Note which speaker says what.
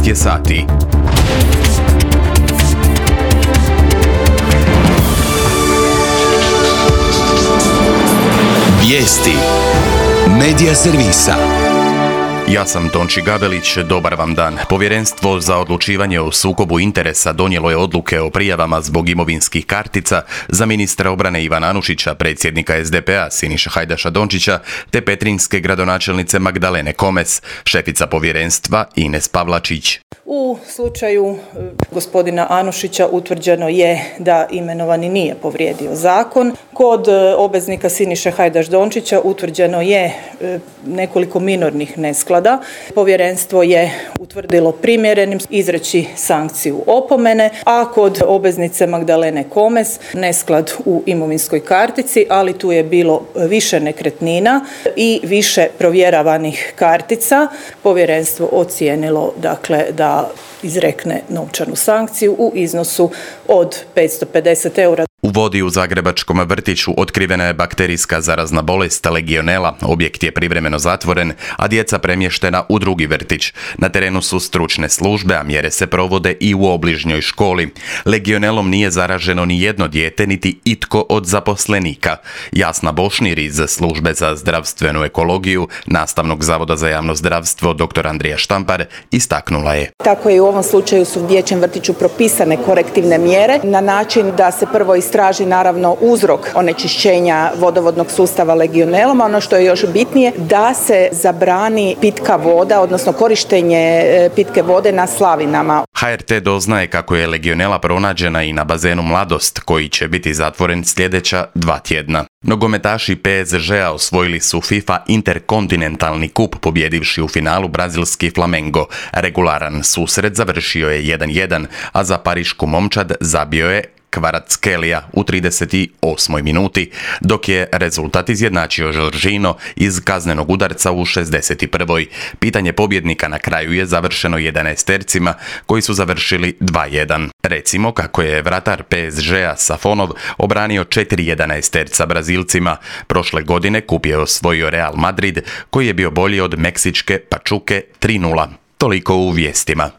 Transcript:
Speaker 1: je sati. Vijesti Medija servisa. Ja sam Tonči Gabelić, dobar vam dan. Povjerenstvo za odlučivanje o sukobu interesa donijelo je odluke o prijavama zbog imovinskih kartica za ministra obrane Ivana Anušića, predsjednika SDP-a Siniše Hajdaša Dončića, te petrinjske gradonačelnice Magdalene Komes, šefica povjerenstva Ines Pavlačić.
Speaker 2: U slučaju gospodina Anušića utvrđeno je da imenovani nije povrijedio zakon. Kod obveznika Siniše Hajdaš Dončića utvrđeno je nekoliko minornih nesklada. Povjerenstvo je utvrdilo primjerenim izreći sankciju opomene, a kod obveznice Magdalene Komes nesklad u imovinskoj kartici, ali tu je bilo više nekretnina i više provjeravanih kartica. Povjerenstvo ocijenilo da izrekne novčanu sankciju u iznosu od 550 eura.
Speaker 1: U Vodi u zagrebačkom vrtiću otkrivena je bakterijska zarazna bolest legionela. Objekt je privremeno zatvoren, a djeca premještena u drugi vrtić. Na terenu su stručne službe, a mjere se provode i u obližnjoj školi. Legionelom nije zaraženo ni jedno dijete, niti itko od zaposlenika. Jasna Bošnir iz Službe za zdravstvenu ekologiju Nastavnog zavoda za javno zdravstvo dr. Andrija Štampar istaknula je.
Speaker 3: Tako je u ovom slučaju su u dječjem vrtiću propisane korektivne mjere na način da se prvo istraži naravno uzrok onečišćenja vodovodnog sustava legionelom, a ono što je još bitnije da se zabrani pitka voda, odnosno korištenje pitke vode na slavinama.
Speaker 1: HRT doznaje kako je legionela pronađena i na bazenu Mladost, koji će biti zatvoren sljedeća 2 tjedna. Nogometaši PSG-a osvojili su FIFA interkontinentalni kup pobjedivši u finalu brazilski Flamengo. Regularan susret završio je 1-1, a za parišku momčad zabio je Kvaratskhelia u 38. minuti, dok je rezultat izjednačio Jorginho iz kaznenog udarca u 61. Pitanje pobjednika na kraju je završeno 11-tercima koji su završili 2-1. Recimo kako je vratar PSG-a Safonov obranio 4 11-terca Brazilcima. Prošle godine kup je osvojio Real Madrid, koji je bio bolji od meksičke Pachuke 3-0. Toliko u vijestima.